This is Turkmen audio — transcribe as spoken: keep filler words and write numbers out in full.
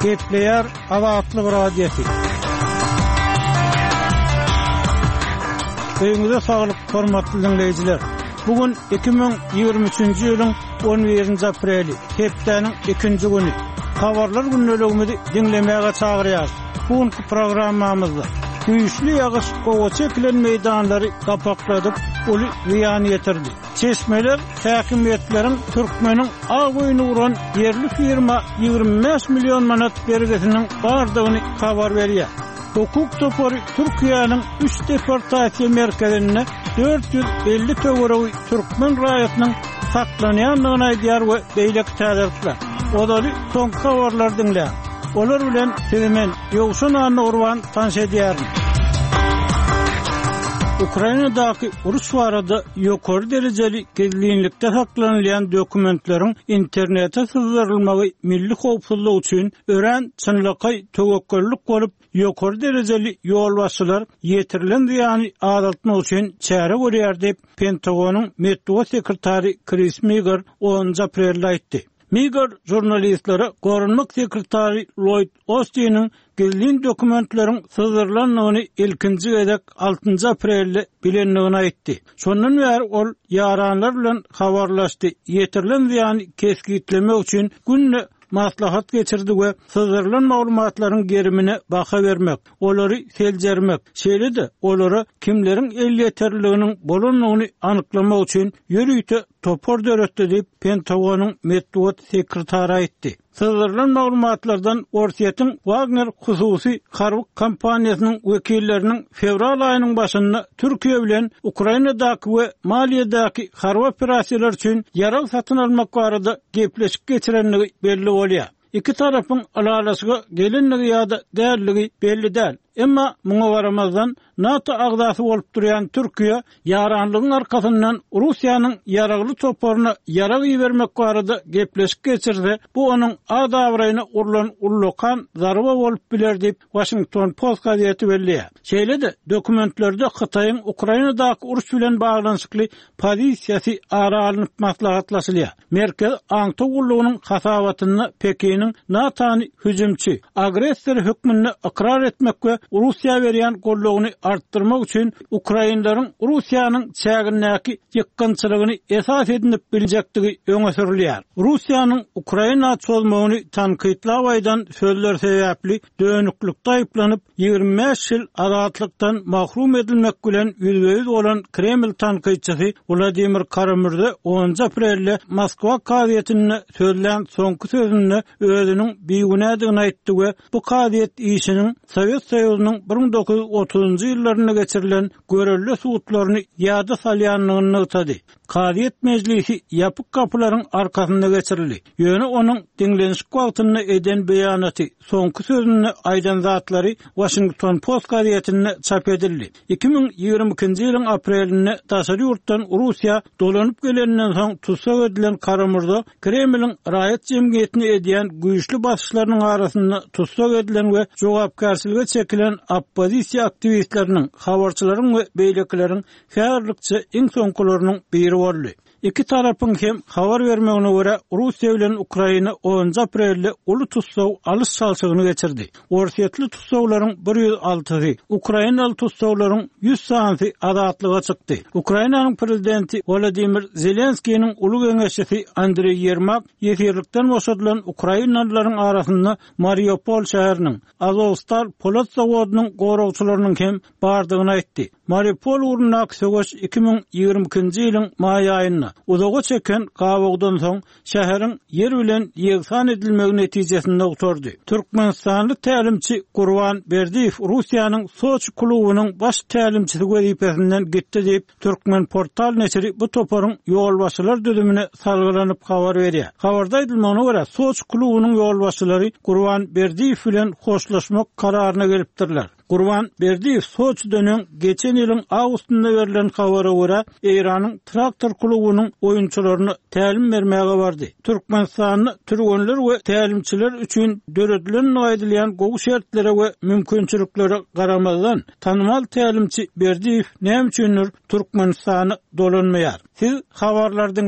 Gepleýär Azatlyk Radiosy. Öýüňize saglyk, hormatly dinleýjiler. Bu gün iki müň ýigrimi üçünji ýylyň on birinji apreli, hepdäniň ikinji güni. Habarlar gündeligimizi diňlemäge çagyrýarys. Bu günki programmamyzda güýçli ýagyş gowaça ekilen meýdanlary gapakladyp, uly zyýan ýetirdi. Çeşmeler häkimiýetleriň türkmeniň ak öýüni guran ýerli firma ýigrimi bäş million manat bergisiniň bardygyny habar berýär. Hukuk topary Türkiýäniň üç deportasiýa merkezinde dört ýüz elli töweregi türkmen raýatynyň saklanýandygyny aýdýar we beýleki täzelikler. Ozaly soňky habarlary diňläň. Olar bilen sizi men Ýowşan Annagurban tanyş edýärin. Ukrainadaky uruş barada ýokary derejeli gizlinlikde saklanylýan dokumentleriň internete syzdyrylmagy milli howpsuzlyk üçin örän çynlakaý töwekgellik bolup, ýokary derejeli ýolbaşçylar ýetirilen zyýany azaltmak üçin çäre görýär diýip, Pentagonyň metbugat sekretary Kris Miger onunjy aprelde aýtdy. Miger žurnalistlere goranmak sekretary Lloyd Ostiniň gizlin dokumentleriň syzdyrylandygyny ilkinji gezek altynjy aprelde bilendigini aýtdy. Şondan bäri ol ýaranlar bilen habarlaşdy, ýetirilen zyýany kesgitlemek üçin günde maslahat geçirdi we syzdyrylan maglumatlaryň gerimine baha bermek, olary seljermek, şeýle-de olara kimleriň elýeterliliginiň bolandygyny anyklamak üçin ýörite topar döretdi diýip, Pentagonyň metbugat sekretary aýtdy. Syzdyrylan maglumatlardan Orsýetiň Wagner hususy harby kompaniýasynyň wekilleriniň fewral aýynyň başynda Türkiýe bilen Ukrainadaky we Maliýedäki harby operasiýalar üçin ýarag satyn almak barada gepleşik geçirendigi belli bolýar. Iki tarapyň ylalaşyga gelenligi ýa-da dälligi belli däl. Emma muňa garamazdan NATO agzasy bolup durýan Türkiýe ýaranlygyň arkasyndan Russiýanyň ýaragly toparyna ýarag ibermek barada gepleşik geçirse, bu onuň ad-abraýyna urlan ullakan zarba bolup biler diýip Washington Post gazeti belleýär. Şeýle-de dokumentlerde Hytaýyň Ukrainadaky uruş bilen baglanyşykly pozisiýasy ara alnyp maslahatlaşylýar. Merkez Aňtaw gullugynyň hasabatynda Pekiniň NATO-ny hüjümçi, agressor hökmünde ykrar etmek we Russiýa berýän gollugyny artdyrmak üçin Ukrainleriň Russiýanyň çägindäki ýykgynçylygyny esas edinip biljekdigi öňe sürülýär. Russiýanyň Ukraina çozmagyny tankytlap aýdan sözler sebäpli dönüklikde aýyplanyp, ýigrimi bäş ýyl azatlykdan mahrum edilmek bilen ýüzbe-ýüz bolan Kreml tankytçysy Wladimir Karamürze onunjy aprelde Moskwa kazyýetinde sözlän soňky sözünde özüniň bigünädigini aýtdy we bu kazyýet işiniň Sowet Soýuzynyň bir müň dokuz ýüz otuzynjy ýyllarynda geçirilen görelde sudlaryny ýada salýandygyny nygtady. Kazyýet mejlisi ýapyk gapylaryň arkasynda geçirildi. Ýöne onuň diňlenişik wagtynda eden beýanaty, soňky sözünde aýdan zatlary Washington Post gazetinde çap edildi. Iki müň ýigrimi ikinji ýylyň aprelinde daşary ýurtdan Russiýa dolanyp gelenden soň tussag edilen Karamürze Kremliň raýat jemgyýetine edýän güýçli basyşlarynyň arasynda tussag edilen we jogapkärçilige çekilen oppozisiýa aktiwistleriniň, habarçylaryň we beýlekileriň häzirlikçe iň soňkularynyň biri boldy. Iki tarapyň hem habar bermegine görä, Russiýa bilen Ukraina onunjy aprelde uly tussag alyş çalşygyny geçirdi. Orsýetli tussaglaryň bir ýüz altysy, Ukrainaly tussaglaryň ýüz sanysy azatlyga çykdy. Ukrainanyň prezidenti Wladimir Zelenskiniň uly geňeşçisi Andreý Ýermak ýesirlikden boşadylan ukrainalylaryň arasynda Mariupol şäheriniň Azovstal polat zawodynyň goragçylarynyň hem bardygyny aýtdy. Mariupol ugrundaky söweş iki müň ýigrimi ikinji ýylyň maý aýynda uzaga çeken gabawdan soň şäheriň ýer bilen ýegsan edilmegi netijesinde gutardy. Türkmenistanly tälimçi Gurban Berdiýew Russiýanyň Soçi klubunyň baş tälimçisi wezipesinden gitdi diýip, Türkmen portal neşiri bu toparyň ýolbaşçylar düzümine salgylanyp habar berýär. Habarda aýdylmagyna görä, Soçi klubunyň ýolbaşçylary Gurban Berdiýew bilen hoşlaşmak kararyna gelipdirler. Gurban Berdiýew Soçiden öň geçen ýylyň awgustynda berlen habara görä, Eýranyň Traktor klubunyň oýunçylaryna tälim bermäge bardy. Türkmenistanda türgenler we tälimçiler üçin döredilen aýdylýan gowy şertlere we mümkinçiliklere garamazdan, tanymal tälimçi Berdiýew näme üçindir Türkmenistana dolanmaýar? Siz habarlardan